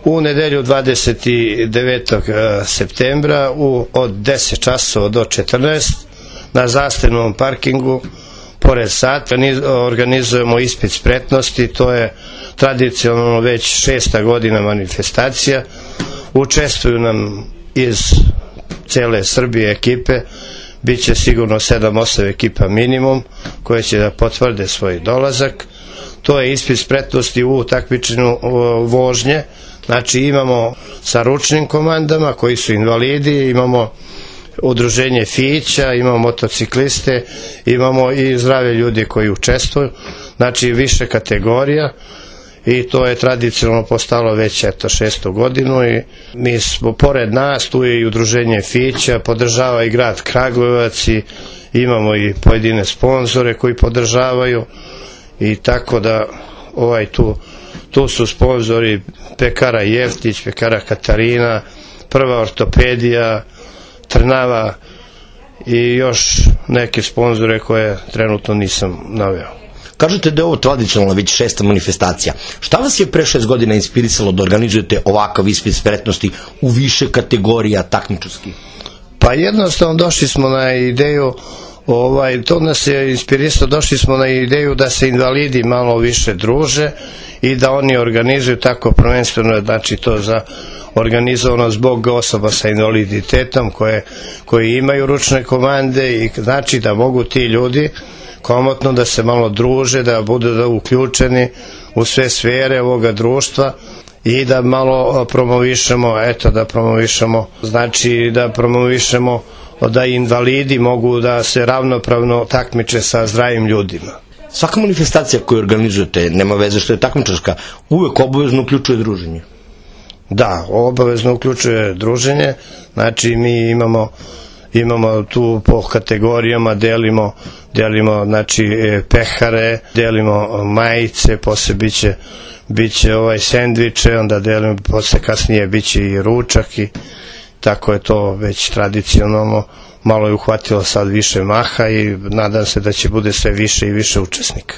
U nedelju 29. septembra od 10 časova do 14 na zastavnom parkingu pored sata organizujemo ispit spretnosti. To je tradicionalno već 6. godina manifestacija. Učestvuju nam iz cele Srbije ekipe, bit će sigurno 7-8 ekipa minimum koje će da potvrde svoj dolazak. To je ispit spretnosti u takmičenju vožnje. Znači imamo sa ručnim komandama koji su invalidi, imamo udruženje Fića, imamo motocikliste, imamo i zdrave ljudi koji učestvuju, znači više kategorija, i to je tradicionalno postalo već 6. godinu i mi smo pored nas, tu je i udruženje Fića, podržava i grad Kragujevac i imamo i pojedine sponzore koji podržavaju, i tako da tu su sponzori Pekara Jeftić, Pekara Katarina, Prva ortopedija, Trnava i još neke sponzore koje trenutno nisam naveo. Kažete da je ovo tradicionalno već 6. manifestacija. Šta vas je pre 6 godina inspirisalo da organizujete ovakav ispit spretnosti u više kategorija takmičarskih? Pa jednostavno došli smo na ideju, to nas je inspirisalo, došli smo na ideju da se invalidi malo više druže i da oni organizuju tako prvenstveno, znači to za organizovano zbog osoba sa invaliditetom koji imaju ručne komande, i znači da mogu ti ljudi komotno da se malo druže, da budu uključeni u sve sfere ovoga društva i da malo promovišemo, znači da promovišemo da invalidi mogu da se ravnopravno takmiče sa zdravim ljudima. Svaka manifestacija koju organizujete, nema veze što je takmičarska, uvek obavezno uključuje druženje. Da, obavezno uključuje druženje, znači mi imamo tu po kategorijama, delimo znači pehare, delimo majice, posle biće sendviče, onda delimo, posle kasnije biće i ručak, i tako je to već tradicionalno, malo je uhvatilo sad više maha i nadam se da će bude sve više i više učesnika.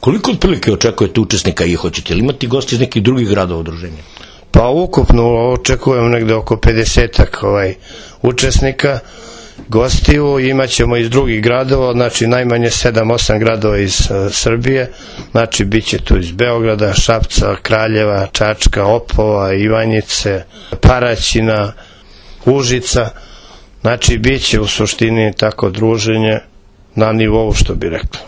Koliko otprilike očekujete učesnika i hoćete li imati gosti iz nekih drugih gradova udruženja? Pa ukupno očekujem negde oko 50-ak učesnika, gostiju, imat ćemo iz drugih gradova, znači najmanje 7-8 gradova iz Srbije, znači bit će tu iz Beograda, Šapca, Kraljeva, Čačka, Opova, Ivanjice, Paraćina, Užica, znači bit će u suštini tako druženje na nivou, što bi rekli.